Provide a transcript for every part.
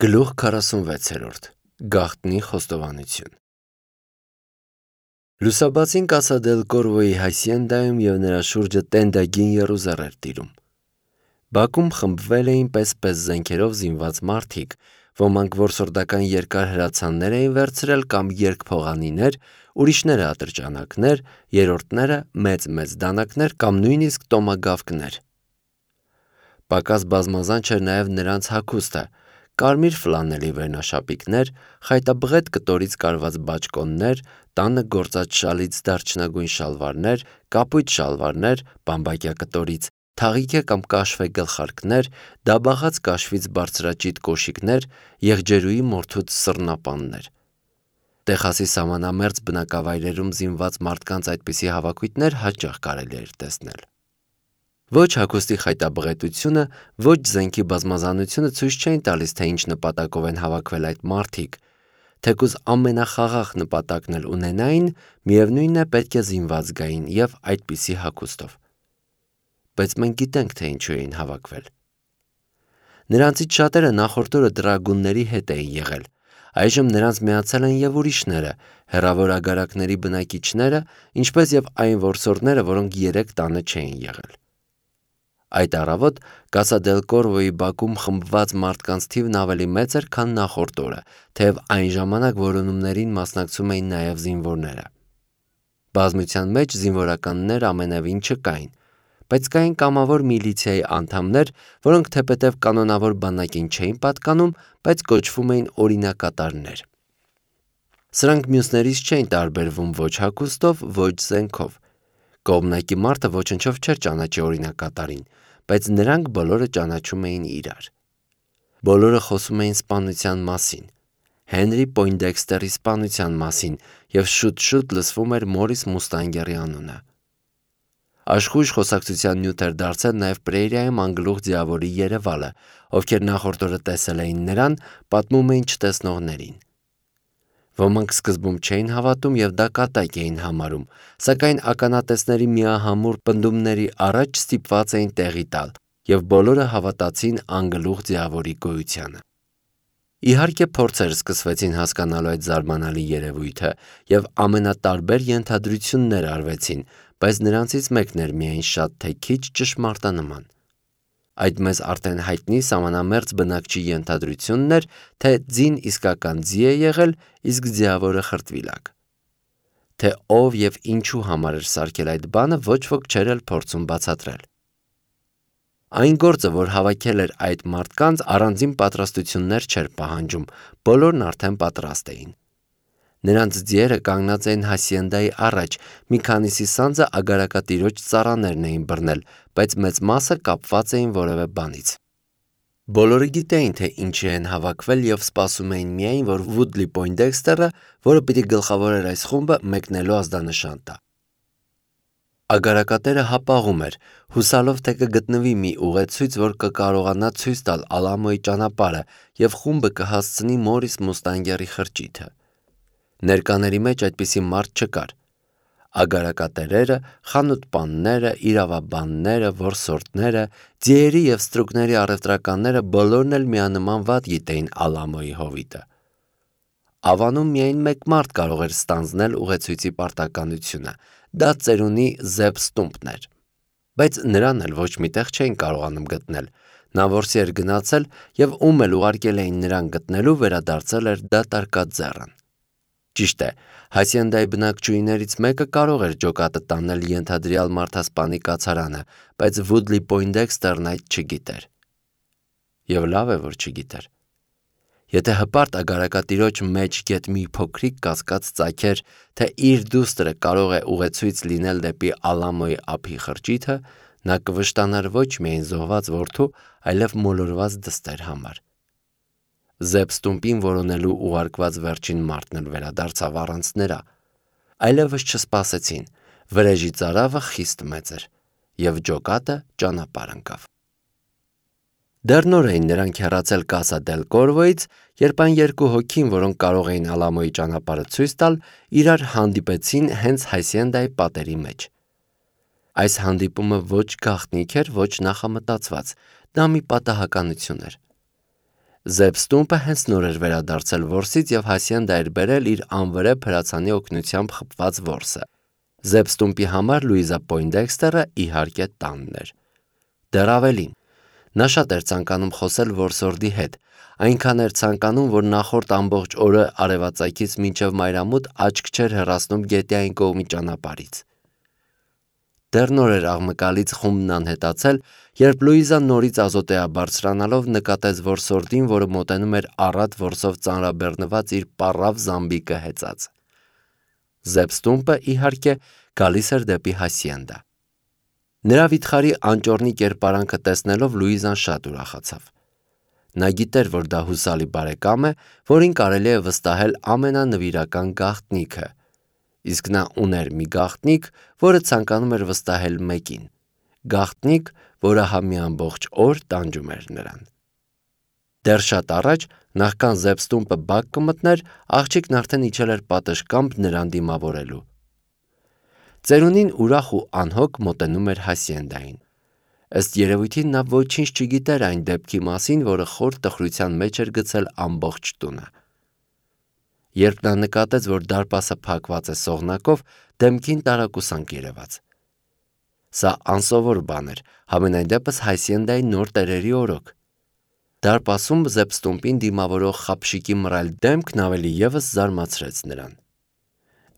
Գլուխ 46 Գաղտնի խոստովանություն Լուսաբացին Կասա դել Կորվոյի հայսիենդայում և նրա շուրջը տենդագին եռուզեռ էր տիրում։ Բաքում խմբվել էին պես-պես զենքերով զինված մարդիկ, ոմանք որսորդական երկար հրացաններ էին վերցրել կամ երկփողանիներ, ուրիշները ատրճանակներ, երրորդները մեծ դանակներ կամ նույնիսկ տոմագավկներ։ Պակաս բազմազան չէր նաև նրանց հագուստը՝ կարմիր ֆլանելի վերնաշապիկներ, խայտաբղետ կտորից կարված բաճկոններ, տանը գործած շալից դարչնագույն շալվարներ, կապույտ շալվարներ, բամբակյա կտորից, թաղիքե կամ կաշվե գլխարկներ, դաբաղած կաշվից բարձրաճիտ կոշիկներ, եղջերուի մորթուց սռնապաններ։ Տեխասի սահմանամերձ բնակավայրերում զինված մարդկանց այդպիսի հավաքույթներ հաճախ կարելի էր տեսնել։ Ոչ հագուստի խայտաբղետությունը, ոչ զենքի բազմազանությունը ցույց չէին տալիս, թե ինչ նպատակով են հավաքվել այդ մարդիկ, թեկուզ ամենախաղաղ նպատակն էլ ունենային, միևնույնն է պետք է զինված գային և այդպիսի հագուստով։ Բայց մենք գիտենք, թե ինչու էին հավաքվել։ Նրանցից շատերը նախորդ օրը դրագունների հետ էին եղել, այժմ նրանց միացել են և ուրիշները, հեռավոր ագարակների բնակիչները, ինչպես և այն որսորդները, որոնք 3 տանը չէին եղել։ Այդ առավոտ Կասա դել Կորվոյի բակում խմբված մարդկանց թիվն ավելի մեծ էր, քան նախորդ օրը, թեև այն ժամանակ որոնումներին մասնակցում էին նաև զինվորները։ Բազմության մեջ զինվորականներ ամենևին չկային, բայց կային կամավոր միլիցիայի անդամներ, որոնք թեպետև կանոնավոր բանակին չէին պատկանում, բայց կոչվում էին օրինակատարներ։ Սրանք մյուսներից չէին տարբերվում ոչ հագուստով, ոչ զենքով։ Կողմնակի մարդը ոչնչով չէր ճանաչի օրինակատարին, բայց նրանք բոլորը ճանաչում էին իրար։ Բոլորը խոսում էին սպանության մասին, Հենրի Պոյնդեքստերի սպանության մասին, և շուտ-շուտ լսվում էր Մորիս Մուստանգերի անունը։ Աշխույժ խոսակցության նյութ էր դարձել նաև Պրեիրիայում անգլուխ ձիավորի երևալը, ովքեր նախորդ օրը տեսել էին նրան, պատմում էին չտեսնողներին։ Ոմանք սկզբում չէին հավատում և դա կատակ էին համարում, սակայն ականատեսների միահամուռ պնդումների առաջ ստիպված էին տեղի տալ, և բոլորը հավատացին անգլուխ ձիավորի գոյությանը։ Իհարկե փորձեր սկսվեցին հասկանալու այդ զարմանալի երևույթը, և ամենատարբեր ենթադրություններ արվեցին, բայց նրանցից մեկն էր միայն շատ թե քիչ ճշմարտանման։ Այդ մեզ արդեն հայտնի սահմանամերձ բնակչի ենթադրությունն էր, թե ձին իսկական ձի է եղել, իսկ ձիավորը խրտվիլակ։ Թե ով և ինչու համար էր սարքել այդ բանը, ոչ ոք չէր էլ փորձում բացատրել։ Այն գործը, որ հավաքել էր այդ մարդկանց, առանձին պատրաստություններ չէր պահանջում, բոլորն արդեն պատրաստ էին։ Նրանց ձիերը կանգնած էին հասիենդայի առաջ, մի քանիսի սանձը ագարակատիրոջ ծառաներն էին բռնել, բայց մեծ մասը կապված էին որևէ բանից։ Բոլորը գիտեին, թե ինչի են հավաքվել և սպասում էին միայն, որ Վուդլի Պոյնդեքստերը, որը պիտի գլխավորեր այս խումբը, մեկնելու ազդանշան տա։ Ագարակատերը հապաղում էր, հուսալով, թե կգտնվի մի ուղեցույց, որ կկարողանա ցույց տալ Ալամոյի ճանապարհը և խումբը կհասցնի Մորիս Մուստանգերի խրճիթը։ Ներկաների մեջ այդպիսի մարդ չկար։ Ագարակատերերը, խանութպանները, իրավաբանները, որսորդները, ձիերի և ստրուկների առևտրականները բոլորն էլ միանման վատ գիտեին Ալամոյի հովիտը։ Ավանում միայն մեկ մարդ կարող էր ստանձնել ուղեցույցի պարտականությունը, դա ծերունի Զեբ Ստումպն էր։ Բայց նրան էլ ոչ մի տեղ չէին կարողանում գտնել, նա որսի էր գնացել և ում էլ ուղարկել էին նրան գտնելու, վերադարձել էր դատարկաձեռն։ Ճիշտ է, հասիենդայի բնակչուհիներից մեկը կարող էր ջոկատը տանել ենթադրյալ մարդասպանի կացարանը, բայց Վուդլի Պոյնդեքստերն այդ չգիտեր։ Եվ լավ է, որ չգիտեր։ Եթե հպարտ ագարակատիրոջ մեջ գետ մի փոքրիկ կասկած ծագեր, թե իր դուստրը կարող է ուղեցույց լինել դեպի Ալամոյի ափի խրճիթը, նա կվշտանար ոչ միայն զոհված որդու, այլև մոլորված դստեր համար։ Զեբ Ստումպին որոնելու ուղարկված վերջին մարդն էլ վերադարձավ առանց նրա։ Այլևս չսպասեցին, վրեժի ծարավը խիստ մեծ էր, և ջոկատը ճանապարհ ընկավ։ Դեռ նոր էին նրանք հեռացել Կասա դել Կորվոյից, երբ այն երկու հոգին, որոնք կարող էին Ալամոյի ճանապարհը ցույց տալ, իրար հանդիպեցին հենց հասիենդայի պատերի մեջ։ Այս հանդիպումը ոչ գաղտնիք էր, ոչ նախամտածված, դա մի պատահականություն էր։ Զեբստումպը հենց նոր էր վերադարձել որսից և Հասիենդա էր բերել իր անվրեպ հրացանի օգնությամբ խփված որսը։ Զեբստումպի համար Լուիզա Պոյնդեքստերը իհարկե տանն էր։ Դեռ ավելին, նա շատ էր ցանկանում խոսել որսորդի հետ, այնքան էր ցանկանում, որ նախորդ ամբողջ օրը արևածագից մինչև մայրամուտ աչք չէր հեռացնում գետի այն կողմի ճանապարհից։ Դեռ նոր էր աղմկալից խումբն անհետացել, երբ Լուիզան նորից ազոտեաբարձրանալով նկատեց որսորդին, որը մոտենում էր առատ որսով ծանրաբեռնված իր պառավ զամբիկը հեծած։ Զեբստումպը, իհարկե, գալիս էր դեպի Հասիենդա։ Նրա վիթխարի անճոռնի կերպարանքը տեսնելով Լուիզան շատ ուրախացավ։ Նա գիտեր, որ դա հուսալի բարեկամ է, որին կարելի է վստահել ամենանվիրական գաղտնիքը, իսկ նա ուներ մի գաղտնիք, որը ցանկանում էր վստահել մեկին, գաղտնիք, որը մի ամբողջ օր տանջում էր նրան։ Դեռ շատ առաջ, նախքան Զեբստումպը բակ կմտներ, աղջիկն արդեն իջել էր պատշգամբ նրան դիմավորելու։ Ծերունին ուրախ ու անհոգ մոտենում էր Հասիենդային։ Ըստ երևույթին նա ոչինչ չգիտեր այն դեպքի մասին, որը խոր տխրության մեջ էր գցել ամբողջ տունը։ Երբ նա նկատեց, որ դարպասը փակված է սողնակով, դեմքին տարակուսանք երևաց։ Սա անսովոր բան էր, համենայն դեպս Հասիենդայի նոր տերերի օրոք։ Դարպասում Զեբստումպին դիմավորող խապշիկի մռայլ դեմքն ավելի ևս զարմացրեց նրան։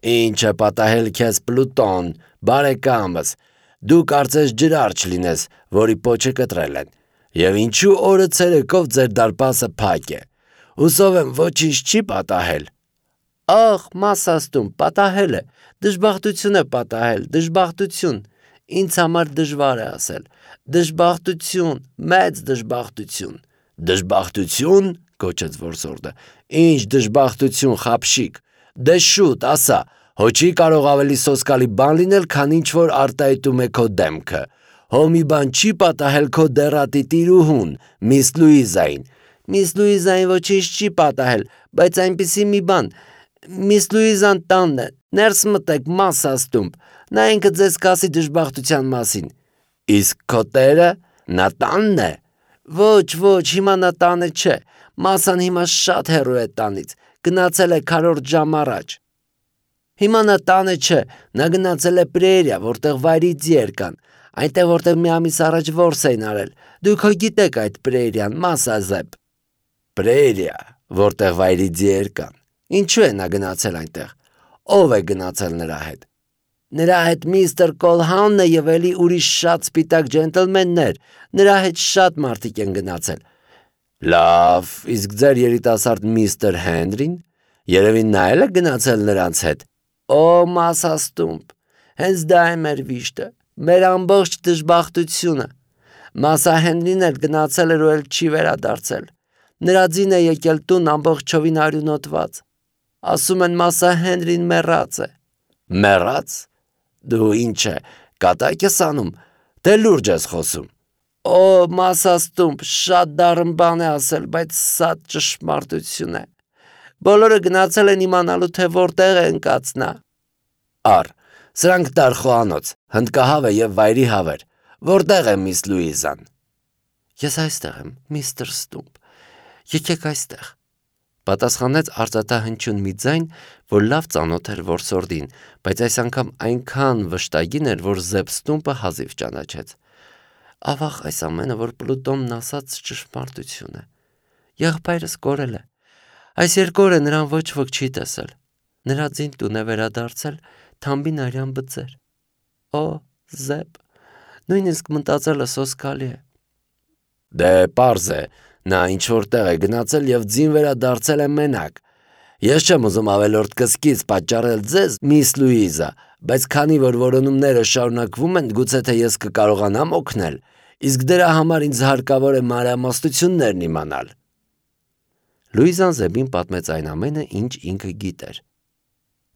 «Ինչ է պատահել քեզ, Պլուտոն, բարեկամս, դու կարծես ջրար չլինես, որի պոչը կտրել են, և ինչու օրը ցերեկով ձեր դարպասը փակ է, հուսով եմ ոչինչ չի պատահել»։ «Ախ, Մասաստումպ, պատահել է, դժբախտություն է պատահել, դժբախտություն, ինձ համար դժվար է ասել, դժբախտություն, մեծ դժբախտություն»։ «Դժբախտություն», գոչեց որսորդը, «ինչ դժբախտություն, խապշիկ, դե շուտ ասա, հո չի կարող ավելի սոսկալի բան լինել, քան ինչ-որ արտահայտում է քո դեմքը, հո մի բան չի պատահել քո դեռատի տիրուհուն, միս Լուիզային»։ «Միս Լուիզային ոչինչ չի պատահել, բայց այնպիսի մի բան, միս Լուիզան տանն է, ներս մտեք, Մասաստումպ, նա ինքը ձեզ կասի դժբախտության մասին»։ «Իսկ քո տերը, նա տանն է»։ Ոչ, հիմա նա տանը չէ, Մասան հիմա շատ հեռու է տանից, գնացել է քառորդ ժամ առաջ։ Հիմա նա տանը չէ, նա գնացել է Պրերիա, որտեղ վայրի ձիեր կան, այնտեղ որտեղ մի ամիս առաջ որս էին արել, դուք հո գիտեք այդ Պրերիան, Մասազեբ։ Պրերիա, որտեղ վայրի ձիեր կան, ինչու է նա գնացել այնտեղ, ով է գնացել նրա հետ։ Նրա հետ միստր Կոլհաունն է և էլի ուրիշ շատ սպիտակ ջենտլմեններ, նրա հետ շատ մարդիկ են գնացել։ Լավ, իսկ ձեր երիտասարդ միստր Հենրին, երևի նա էլ է գնացել նրանց հետ։ Օ, Մասաստումպ, հենց դա է մեր վիշտը, մեր ամբողջ դժբախտությունը։ Մասա Հենրին էլ գնացել էր ու էլ չի վերադարձել։ Նրա ձին է եկել տուն ամբողջովին արյունոտված։ Ասում են Մասա Հենրին մեռած է։ Մեռած։ Դու ինչ է, կատակ ես անում, թե լուրջ ես խոսում։ Օ, Մասաստումպ, շատ դառն բան է ասել, բայց սա ճշմարտություն է։ Բոլորը գնացել են իմանալու, թե որտեղ է ընկած նա։ Առ, սրանք դար խոհանոց, հնդկահավ է և վայրի հավեր։ Որտեղ է միս Լուիզան։ Ես այստեղ եմ, միստր Ստումպ, եկեք այստեղ։ Պատասխանեց արծաթահնչյուն մի ձայն, որ լավ ծանոթ էր որսորդին, բայց այս անգամ այնքան վշտագին էր, որ Զեբստումպը հազիվ ճանաչեց։ Ավաղ, այս ամենը, որ Պլուտոնն ասաց, ճշմարտություն է։ Եղբայրս կորել է։ Այս 2 օրը նրան ոչ ոք չի տեսել։ Նրա ձին տուն է վերադարձել թամբին արյան բծեր։ Օ, Զեբ, նույնիսկ մտածելը սոսկալի է։ Դե պարզ է, նա ինչ-որ տեղ է գնացել և ձին վերադարձել է մենակ։ Ես չեմ ուզում ավելորդ կսկիծ պատճառել ձեզ, միս Լուիզա, բայց քանի որ որոնումները շարունակվում են, գուցե թե ես կկարողանամ օգնել, իսկ դրա համար ինձ հարկավոր է մանրամասնություններն իմանալ։ Լուիզան Զեբին պատմեց այն ամենը, ինչ ինքը գիտեր։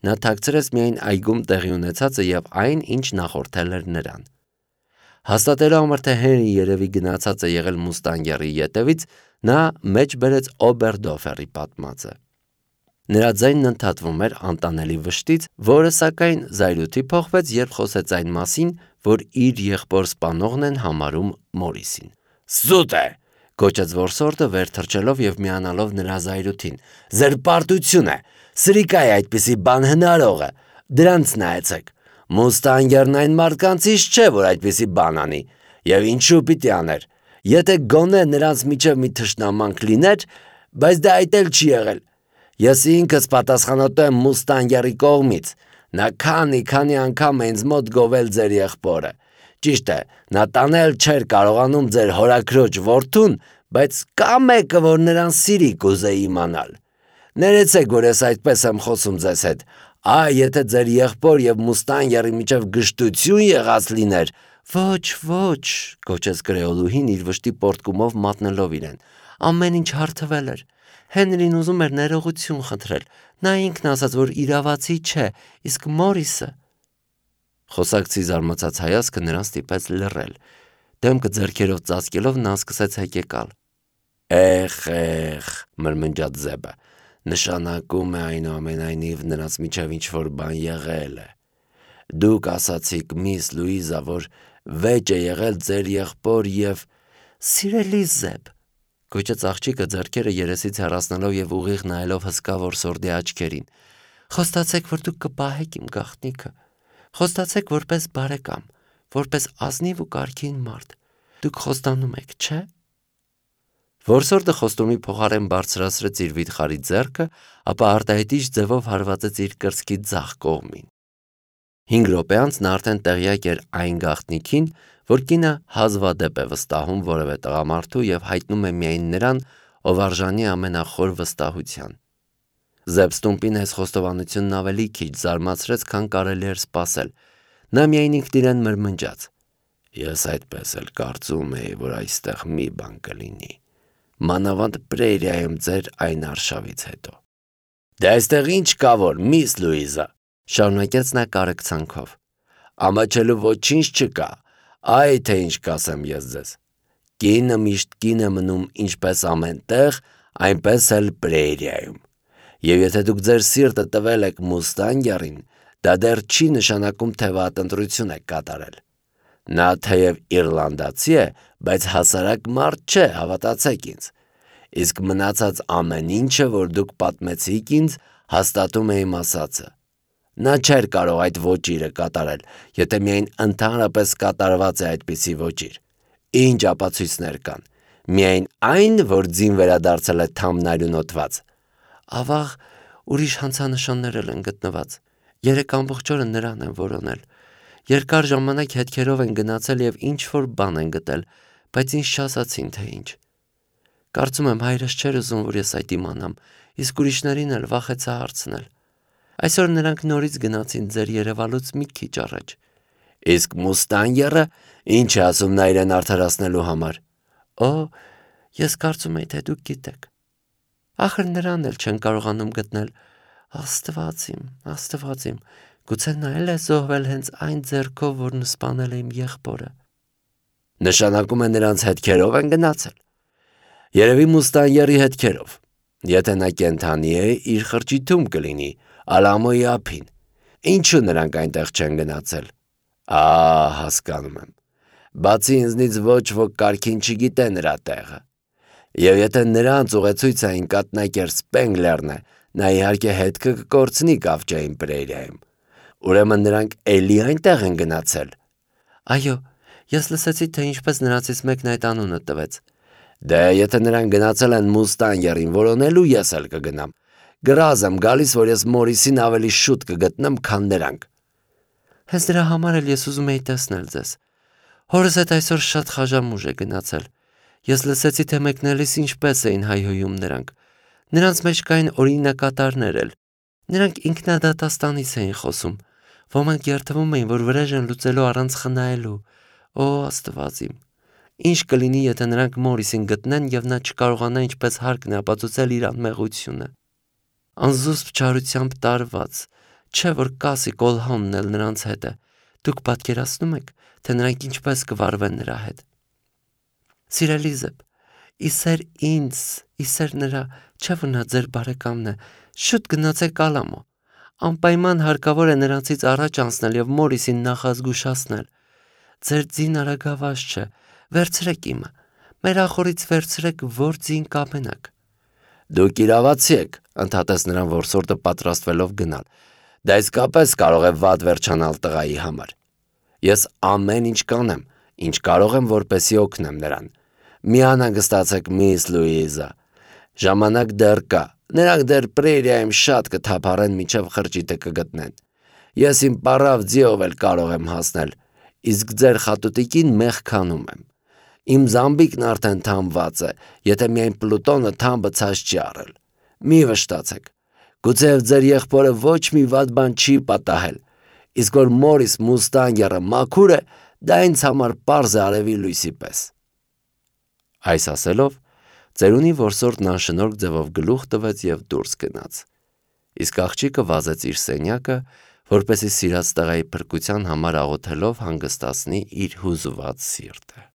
Նա թաքցրեց միայն այգում տեղի ունեցածը և այն, ինչ նախորդել էր նրան։ Հաստատելու համար, թե Հենրի երևի գնացած է եղել Մուստանգերի ետևից, նա մեջ բերեց Օբերդոֆերի պատմածը։ Նրա ձայնն ընդհատվում էր անտանելի վշտից, որը սակայն զայրույթի փոխվեց, երբ խոսեց այն մասին, որ իր եղբոր սպանողն են համարում Մորիսին։ Սուտ է, Գոչեց որսորդը վեր թռչելով եւ միանալով նրա զայրույթին։ Ձեր պարտություն է, սրիկա է այդպիսի բան հնարող է, դրանց նայեցեք։ Մուստանգերն այն մարդկանցից չէ, որ այդպիսի բան անի, եւ ինչու պիտի աներ։ Եթե գոնե նրանց միջև մի թշնամանք լիներ, բայց դա այդ էլ չի եղել։ Ես ինքս պատասխանատու եմ Մուստանգերի կողմից։ Նա քանի անգամ է ինձ մոտ գովել ձեր եղբորը։ Ճիշտ է, նա տանել չէր կարողանում ձեր հորաքրոջ որդուն, բայց կա մեկը, որ նրան սիրի կուզեի իմանալ։ Ներեցեք, որ ես այդպես եմ խոսում ձեզ հետ։ Եթե ձեր եղբոր եւ Մուստանգերի միջև գժտություն եղած լիներ, ոչ, գոչեց գրեոլուհին իր վշտի պորտկումով մատնելով իրեն։ Ամեն ինչ հարթվել էր։ Հենրին ուզում էր ներողություն խնդրել։ Նա ինքն ասաց, որ իրավացի չէ, իսկ Մորիսը… Խոսակցի զարմացած հայացքը նրան ստիպեց լռել։ Դեմքը ձեռքերով ծածկելով նա սկսեց հեկեկալ։ Էխ, մրմնջաց Զեբը, նշանակում է այնուամենայնիվ նրանց միջև ինչ-որ բան եղել է։ Դուք ասացիք միս Լուիզա, որ վեճ է եղել ձեր եղբոր եւ… Սիրելի Զեբ, գոչեց աղջիկը ձեռքերը երեսից հեռացնելով եւ ուղիղ նայելով հսկա որսորդի աչքերին։ Խոստացեք, որ դուք կպահեք իմ գաղտնիքը։ Խոստացեք որպես բարեկամ, որպես ազնիվ ու կարգին մարդ։ Դուք խոստանում եք, չէ՞։ Որսորդը խոստումի փոխարեն բարձրացրեց իր վիթխարի ձեռքը, ապա արտահայտիչ ձևով հարվածեց իր կրծքի ձախ կողմին։ 5 րոպե անց նա արդեն տեղյակ էր այն գաղտնիքին, որ կինը հազվադեպ է վստահում որևէ տղամարդու եւ հայտնում է միայն նրան, ով արժանի ամենախոր վստահության։ Զեբստումպին այս խոստովանությունն ավելի քիչ զարմացրեց, քան կարելի էր սպասել։ Նա միայն ինքն իրեն մրմնջաց. Ես այդպես էլ կարծում էի, որ այստեղ մի բան կլինի։ Մանավանդ Պրերիայում ձեր այն արշավից հետո։ Դե այստեղ ինչ կա որ, միս Լուիզա, շարունակեց նա կարեկցանքով։ Ամաչելու ոչինչ չկա, այ թե ինչ կասեմ ես ձեզ։ Կինը միշտ կին է մնում ինչպես ամեն տեղ, այնպես էլ Պրերիայում։ Եվ եթե դուք ձեր սիրտը տվել եք Մուստանգերին, դա դեռ չի նշանակում, թե վատնտրություն եք կատարել։ Նա թեև իռլանդացի է, բայց հասարակ մարդ չէ, հավատացեք ինձ։ Իսկ մնացած ամեն ինչը, որ դուք պատմեցիք ինձ, հաստատում է իմ ասածը։ Նա չէր կարող այդ ոճիրը կատարել, եթե միայն ընդհանրապես կատարված է այդպիսի ոճիր։ Ինչ ապացույցներ կան։ Միայն այն, որ ձին վերադարձել է թամնարյուն օդված։ Ավաղ, ուրիշ հանցանշաններ են գտնված։ 3 ամբողջ օրը նրան են որոնել։ Երկար ժամանակ հետքերով են գնացել եւ ինչ-որ բան են գտել, բայց ինձ չասացին, թե ինչ։ Կարծում եմ հայրս չէր ուզում, որ ես այդ իմանամ, իսկ ուրիշներին էլ վախեցա հարցնել։ Այսօր նրանք նորից գնացին ձեր երևալուց մի քիչ առաջ։ Իսկ Մուստանգերը ինչ է ասում նա իրեն արդարացնելու համար։ Ես կարծում եի, թե դուք գիտեք։ Ախր նրան էլ չեն կարողանում գտնել։ Աստված իմ, գուցե նա էլ է զոհվել հենց այն ձեռքով, որն սպանել է իմ եղբորը։ Նշանակում է նրանց հետքերով են գնացել։ Երևի Մուստանգերի հետքերով։ Եթե նա կենդանի է, իր խրճիթում կլինի, Ալամոյի ափին։ Ինչու նրանք այնտեղ չեն գնացել։ Հասկանում եմ։ Բացի ինձնից ոչ ոք կարգին չգիտե նրա տեղը։ Եվ եթե նրանց ուղեցույց այն կաթնակեր Սպենգլերն է, նա իհարկե հետքը կկորցնի Կավճային Պրերիայում։ Ուրեմն նրանք էլի այնտեղ են գնացել։ Այո, ես լսեցի, թե ինչպես նրանցից մեկն այդ անունը տվեց։ Դե եթե նրանք գնացել են Մուստանգերին որոնելու, ես էլ կգնամ։ Գրազ եմ գալիս, որ ես Մորիսին ավելի շուտ կգտնեմ, քան նրանք։ Հենց դրա համար էլ ես ուզում էի տեսնել ձեզ։ Հորս հետ այսօր շատ խաժամուժ է գնացել։ Ես լսեցի, թե մեկնելիս ինչպես էին հայհոյում նրանք։ Նրանց մեջ կային օրինակատարներ էլ։ Նրանք ինքնադատաստանից էին խոսում։ Ոմանք երդվում էին, որ վրեժ են լուծելու առանց խնայելու։ Աստված իմ։ Ինչ կլինի, եթե նրանք Մորիսին գտնեն եւ նա չկարողանա ինչպես հարկն է ապացուցել իր անմեղությունը։ Անզուսպ չարությամբ տարված, չէ որ Կասի Կոլհոնն էլ նրանց հետ է։ Դուք պատկերացնում եք, թե նրանք ինչպես կվարվեն նրա հետ։ Սիրելի Զեբ, իսեր ինձ, իսեր նրա, չէ որ նա ձեր բարեկամն է, շուտ գնացեք Ալամո։ Անպայման հարկավոր է նրանցից առաջ անցնել եւ Մորիսին նախազգուշացնել։ Ձեր ձին արագավազ չէ, վերցրեք իմը։ մեր ախորից վերցրեք, որ ձին կամենաք։ Դուք իրավացի եք, ընդհատեց նրան որսորդը պատրաստվելով գնալ։ Դա իսկապես կարող է վատ վերջանալ տղայի համար։ Ես ամեն ինչ կանեմ, ինչ կարող եմ, որպեսզի օգնեմ նրան։ Մի անհանգստացեք, միս Լուիզա։ Ժամանակ դեռ կա։ Նրանք դեռ պրերիայում շատ կթափառեն, մինչև խրճիթը կգտնեն։ Ես իմ պարավ ձիով էլ կարող եմ հասնել, իսկ ձեր խատուտիկին մեղքանում եմ։ Իմ զամբիկն արդեն թամված է, եթե միայն Պլուտոնը թամբը ցած չի առել։ Մի վշտացեք։ Գուցեև ձեր եղբորը ոչ մի վատ բան չի պատահել, իսկ որ Մորիս Մուստանգերը մաքուր է, դա ինձ համար պարզ է արևի լույսի պես։ Այս ասելով, ծերունի որսորդն անշնորհք ձևով գլուխ տվեց և դուրս գնաց։ Իսկ աղջիկը վազեց իր սենյակը, որպեսզի սիրած տղայի փրկության համար աղոթելով հանգստացնի իր հուզված սիրտը։